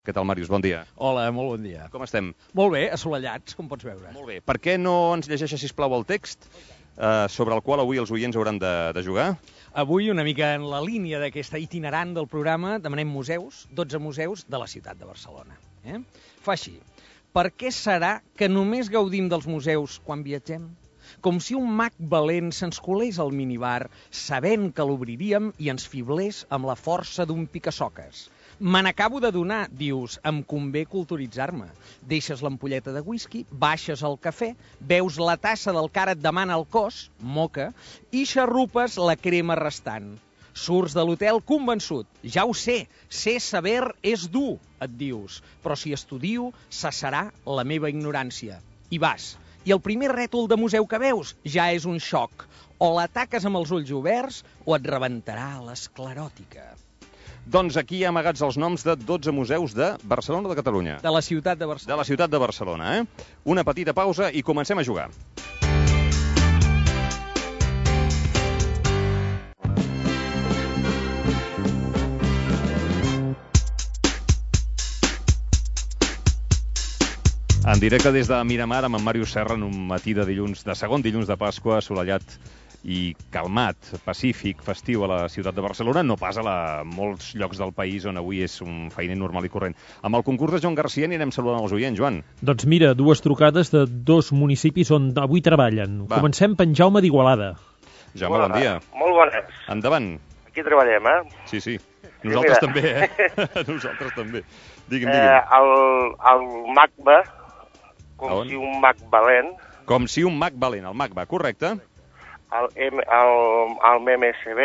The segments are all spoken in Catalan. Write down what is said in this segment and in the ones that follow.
Què tal, Màrius? Bon dia. Hola, molt bon dia. Com estem? Molt bé, assolellats, com pots veure. Molt bé. Per què no ens llegeixes, sisplau, el text sobre el qual avui els oients hauran de jugar? Avui, una mica en la línia d'aquesta itinerant del programa, demanem museus, 12 museus de la ciutat de Barcelona. Fa així. Per què serà que només gaudim dels museus quan viatgem? Com si un mag valent se'ns colés al minibar, sabent que l'obriríem i ens fiblés amb la força d'un picasoques. Me n'acabo de donar, dius, em convé culturitzar-me. Deixes l'ampolleta de whisky, baixes el cafè, veus la tassa del que ara et demana el cos, moca, i xarrupes la crema restant. Surts de l'hotel convençut. Ja ho sé saber és dur, et dius, però si estudio, cessarà la meva ignorància. I vas. I el primer rètol de museu que veus ja és un xoc. O l'ataques amb els ulls oberts o et rebentarà l'escleròtica. Doncs aquí amagats els noms de 12 museus de Barcelona o de Catalunya? De la ciutat de Barcelona. De la ciutat de Barcelona, Una petita pausa i comencem a jugar. En directe des de Miramar amb en Màrius Serra en un matí de dilluns, de segon dilluns de Pasqua, assolellat i calmat, pacífic, festiu a la ciutat de Barcelona, no pas a molts llocs del país on avui és un feiner normal i corrent. Amb el concurs de Joan Garcia anirem saludant els oients, Joan. Doncs mira, dues trucades de dos municipis on avui treballen. Va. Comencem per en Jaume d'Igualada. Jaume, bon dia. Molt bones. Endavant. Aquí treballem, Sí. Nosaltres també, Nosaltres també. Digui'm. El MACBA, com On? si un mag valent, Com si un mag valent, el MACBA, correcte? el MMSB,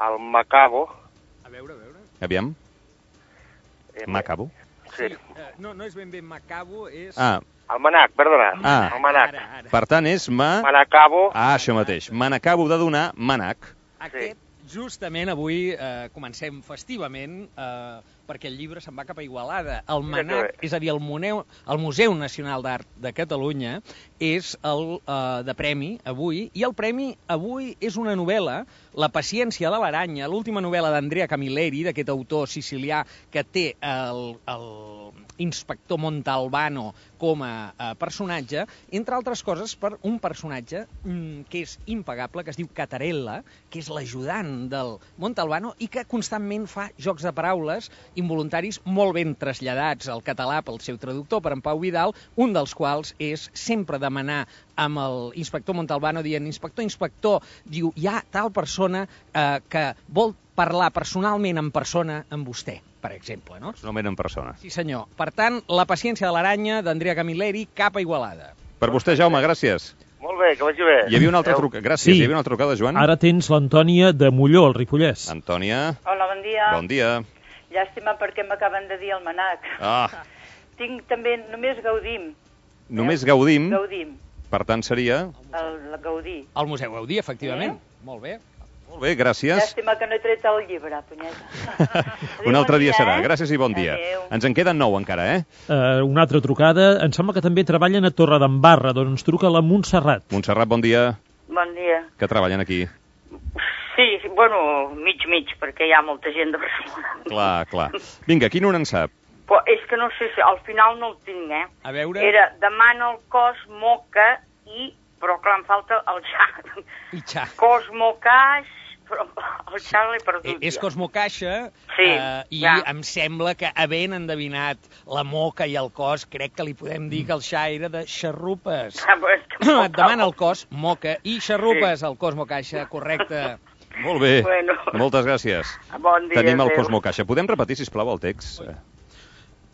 el Macabo. A veure. Aviam. Macabo? Sí. No és ben bé Macabo, és... El Manac, perdona. El Manac. Ara. Per tant, és Manacabo. això mateix. Me n'acabo de donar Manac. Aquest, justament avui comencem festivament perquè el llibre se'n va cap a Igualada. El Manac, és a dir, el Museu Nacional d'Art de Catalunya, és el de premi avui, i el premi avui és una novel·la, La paciència de l'aranya, l'última novel·la d'Andrea Camilleri, d'aquest autor sicilià que té el inspector Montalbano com a personatge, entre altres coses per un personatge que és impagable, que es diu Catarella, que és l'ajudant del Montalbano i que constantment fa jocs de paraules involuntaris molt ben traslladats al català pel seu traductor, per en Pau Vidal, un dels quals és sempre demanar amb l'inspector Montalbano dient inspector, diu, hi ha tal persona que vol parlar personalment en persona amb vostè, per exemple, no? Personalment en persona. Sí, senyor. Per tant, La paciència de l'aranya, d'Andrea Camilleri, cap a Igualada. Per vostè, Jaume, gràcies. Molt bé, que vagi bé. Hi havia una altra trucada. Gràcies. Sí. Hi havia una altra trucada, Joan. Ara tens l'Antònia de Molló, al Ripollès. Antònia, Hola, bon dia. bon dia. Llàstima perquè m'acaben de dir el Manac. Tinc també, només gaudim. Només gaudim. Gaudim, Per tant, seria... el Gaudí. El Museu Gaudí, efectivament. Molt bé. Molt bé, gràcies. Llàstima que no he tret el llibre, punyeta. Un altre dia serà. Gràcies i bon dia. Adéu. Ens en queden 9 encara, Una altra trucada. Em sembla que també treballen a Torredembarra, d'on ens truca la Montserrat. Montserrat, bon dia. Bon dia. Que treballen aquí. Sí, bueno, mig, perquè hi ha molta gent de Barcelona. Clar. Vinga, quin un en sap? Però és que no sé si al final no el tinc, A veure... Era demana el cos, moca i... Però clar, em falta el xa. I xa. Cosmocaix, però el xa l'he perdut. És Cosmocaixa, Sí, i ja. em sembla que, havent endevinat la moca i el cos, crec que li podem dir que el xa era de xarrupes. Et demana el cos, moca, i xarrupes, el Cosmocaixa, correcte. Molt bé. Bueno. Moltes gràcies. Bon dia, Tenim el adéu. Cosmocaixa. Podem repetir, sisplau, el text?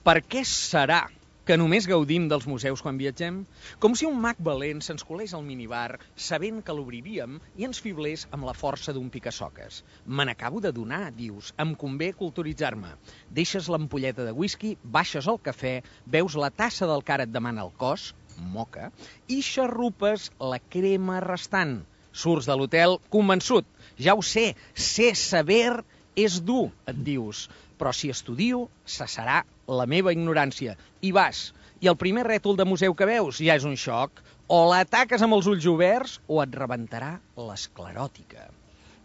Per què serà que només gaudim dels museus quan viatgem? Com si un mag valent se'ns colés al minibar, sabent que l'obriríem i ens fiblés amb la força d'un picasoques. Me n'acabo de donar, dius, em convé culturitzar-me. Deixes l'ampolleta de whisky, baixes el cafè, veus la tassa del que ara et demana el cos, moca, i xarrupes la crema restant. Surts de l'hotel convençut. Ja ho sé saber és dur, et dius, però si estudio, cessarà la meva ignorància. I vas. I el primer rètol de museu que veus ja és un xoc. O l'ataques amb els ulls oberts o et rebentarà l'escleròtica.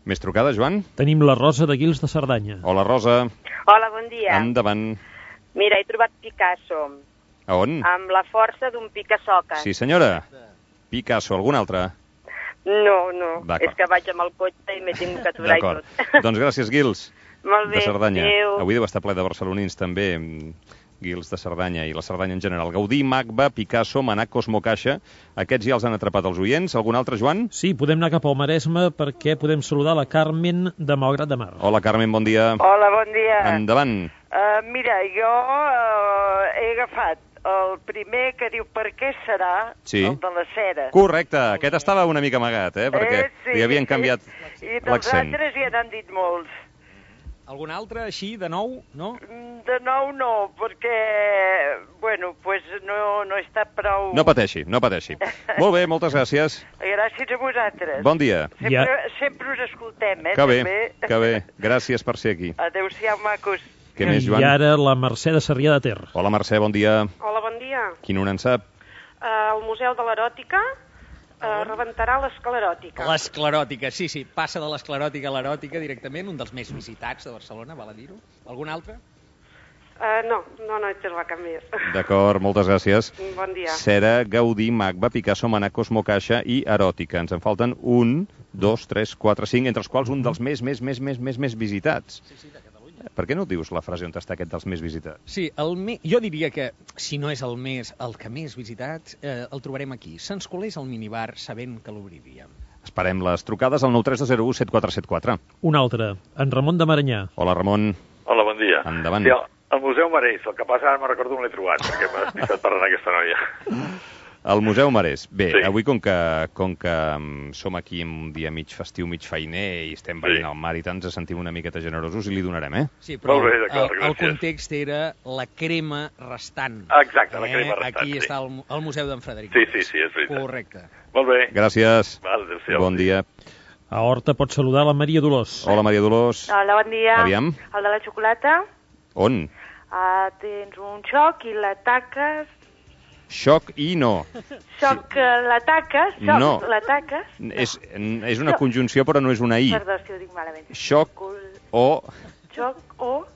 Més trucada, Joan? Tenim la Rosa de Guils de Cerdanya. Hola, Rosa. Hola, bon dia. Endavant. Mira, he trobat Picasso. A on? Amb la força d'un pica-soques. Sí, senyora. Picasso, algun altre? No. D'acord. És que vaig amb el cotxe i m'he tingut que aturar i tot. D'acord. Doncs gràcies, Guils. Molt bé. De Cerdanya. Adéu. Avui deu estar ple de barcelonins, també, Guils de Cerdanya i la Cerdanya en general. Gaudí, Magba, Picasso, Manac, Cosmo Caixa. Aquests ja els han atrapat els oients. Algun altre, Joan? Sí, podem anar cap al Maresme perquè podem saludar la Carmen de Malgrat de Mar. Hola, Carmen, bon dia. Hola, bon dia. Endavant. Mira, jo he agafat el primer que diu per què serà, Sí. el de la cera. Correcte, aquest estava una mica amagat, perquè li havien canviat I dels l'accent. altres ja n'han dit molts. Algun altre, així, de nou, no? De nou no, perquè, bueno, pues no he estat prou... No pateixi. Molt bé, moltes gràcies. Gràcies a vosaltres. Bon dia. Sempre us escoltem, Que bé, també. que bé. Gràcies per ser aquí. Adéu-siau, macos. Què més, Joan? I ara la Mercè de Sarrià de Ter. Hola, Mercè, bon dia. Hola, bon dia. Qui no en sap? El Museu de l'Eròtica rebentarà l'escleròtica. L'escleròtica, sí. Passa de l'escleròtica a l'eròtica directament, un dels més visitats de Barcelona, val a dir-ho. Algun altre? No he trobat cap més. D'acord, moltes gràcies. Bon dia. Cera, Gaudí, Magba, Picasso, Manac, Cosmo Caixa i Eròtica. Ens en falten 1, 2, 3, 4, 5, entre els quals un dels més visitats. Sí, de Catalunya. Per què no dius la frase on està aquest dels més visitats? Sí, jo diria que, si no és el que més visitat, el trobarem aquí. Se'ns colés al minibar sabent que l'obriríem. Esperem les trucades al 93201 7474. Un altre, en Ramon de Maranyà. Hola, Ramon. Hola, bon dia. Endavant. Sí, el Museu Marès, el que passa ara me'n recordo on l'he trobat, perquè m'ha despistat parlant aquesta noia. El Museu Marès. Bé, Sí. avui com que som aquí en un dia mig festiu, mig feiner i estem veient el mar i tant, ens sentim una miqueta generosos i li donarem, Sí, però Molt bé, d'acord, el gràcies. context era la crema restant. Exacte, la crema restant, Aquí sí. està el Museu d'en Frederic. Sí, és veritat. Correcte. Molt bé. Gràcies. Val, adéu-siau. Bon dia. A Horta pots saludar la Maria Dolors. Hola, Maria Dolors. Hola, bon dia. Aviam. El de la xocolata. On? Tens un xoc i l'ataques. Xoc i no. Xoc, l'ataques. No. L'ataques. És una conjunció, però no és una i. Perdó, si ho dic malament. Xoc o... Xoc o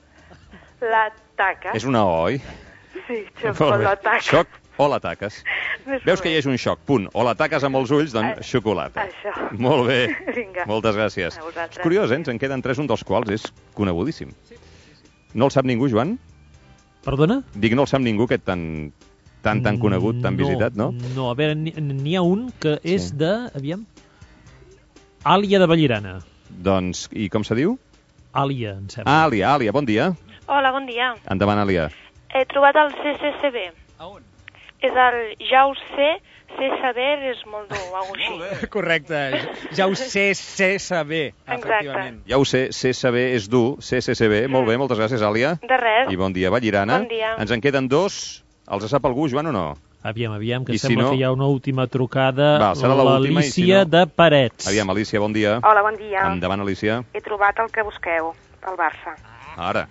l'ataques. És una o, oi? Sí, xoc o l'ataques. Xoc o l'ataques. Veus que hi és un xoc, punt. O l'ataques amb els ulls, doncs xocolata. Això. Molt bé. Vinga. Moltes gràcies. A vosaltres. És curiós, ens en queden 3, un dels quals és conegudíssim. No el sap ningú, Joan? Perdona? Dic, no el sap ningú, aquest tan conegut, tan visitat, no? No, a veure, n'hi ha un que és de... Aviam. Àlia de Vallirana. Doncs, i com se diu? Àlia, em sembla. Àlia, bon dia. Hola, bon dia. Endavant, Àlia. He trobat el CCCB. A on? És el ja ho sé saber és molt dur, alguna cosa així. Correcte, ja ho sé saber, efectivament. Ja ho sé saber és dur, CCCB. Molt bé, moltes gràcies, Àlia. De res. I bon dia, Vallirana. Bon dia. Ens en queden 2. Els sap algú, Joan, o no? Aviam, que I si sembla no... que hi ha una última trucada. Va, serà l'última, i si l'Alícia no... de Parets. Aviam, Alícia, bon dia. Hola, bon dia. Endavant, Alícia. He trobat el que busqueu, el Barça. Ara.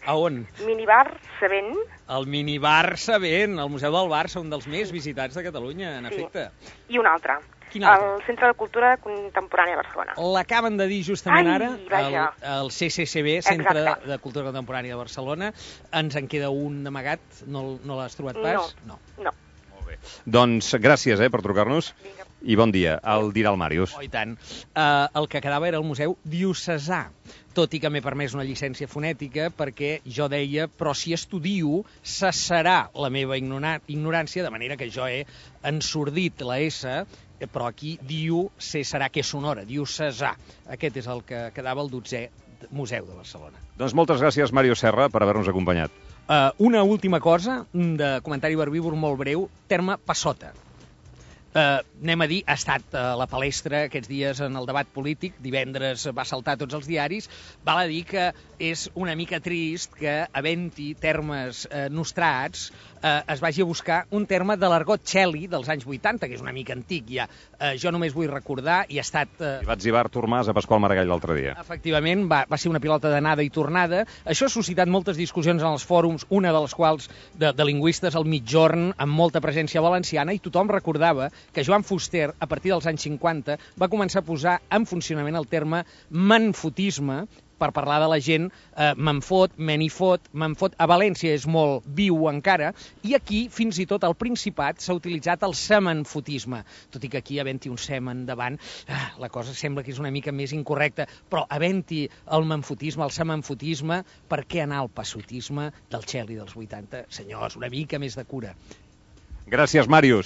A on? Minibar Sabent. El minibar Sabent, el Museu del Barça, un dels més visitats de Catalunya, en efecte. I un altre. Quin altre? El Centre de Cultura Contemporània de Barcelona. L'acaben de dir justament ara, vaja. el CCCB, Centre de Cultura Contemporània de Barcelona. Ens en queda un amagat, no l'has trobat pas? No. Molt bé. Doncs gràcies per trucar-nos. I bon dia. El dirà el Màrius. Oh, i tant. El que quedava era el Museu Diocesà, tot i que m'he permès una llicència fonètica perquè jo deia, però si estudio, cessarà la meva ignorància, de manera que jo he ensordit la S, però aquí serà que és sonora, Diocesà. Aquest és el que quedava el 12è Museu de Barcelona. Doncs moltes gràcies, Mario Serra, per haver-nos acompanyat. Una última cosa, de comentari verbívor molt breu, terme passota. Anem a dir, ha estat a la palestra aquests dies en el debat polític, divendres va saltar tots els diaris, val a dir que és una mica trist que, havent-hi termes nostrats, es vagi a buscar un terme de l'argot txeli dels anys 80, que és una mica antic ja. Jo només vull recordar, i ha estat... I va etzibar Artur Mas a Pasqual Maragall l'altre dia. Efectivament, va ser una pilota d'anada i tornada. Això ha suscitat moltes discussions en els fòrums, una de les quals de lingüistes al mitjorn, amb molta presència valenciana, i tothom recordava que Joan Fuster, a partir dels anys 50, va començar a posar en funcionament el terme manfotisme, per parlar de la gent, me'n fot, me n'hi fot, me'n fot. A València és molt viu encara, i aquí, fins i tot al Principat, s'ha utilitzat el semenfotisme. Tot i que aquí, havent-hi un semen davant, la cosa sembla que és una mica més incorrecta, però havent-hi el menfotisme, el semenfotisme, per què anar al passotisme del Txeli dels 80? Senyors, una mica més de cura. Gràcies, Màrius.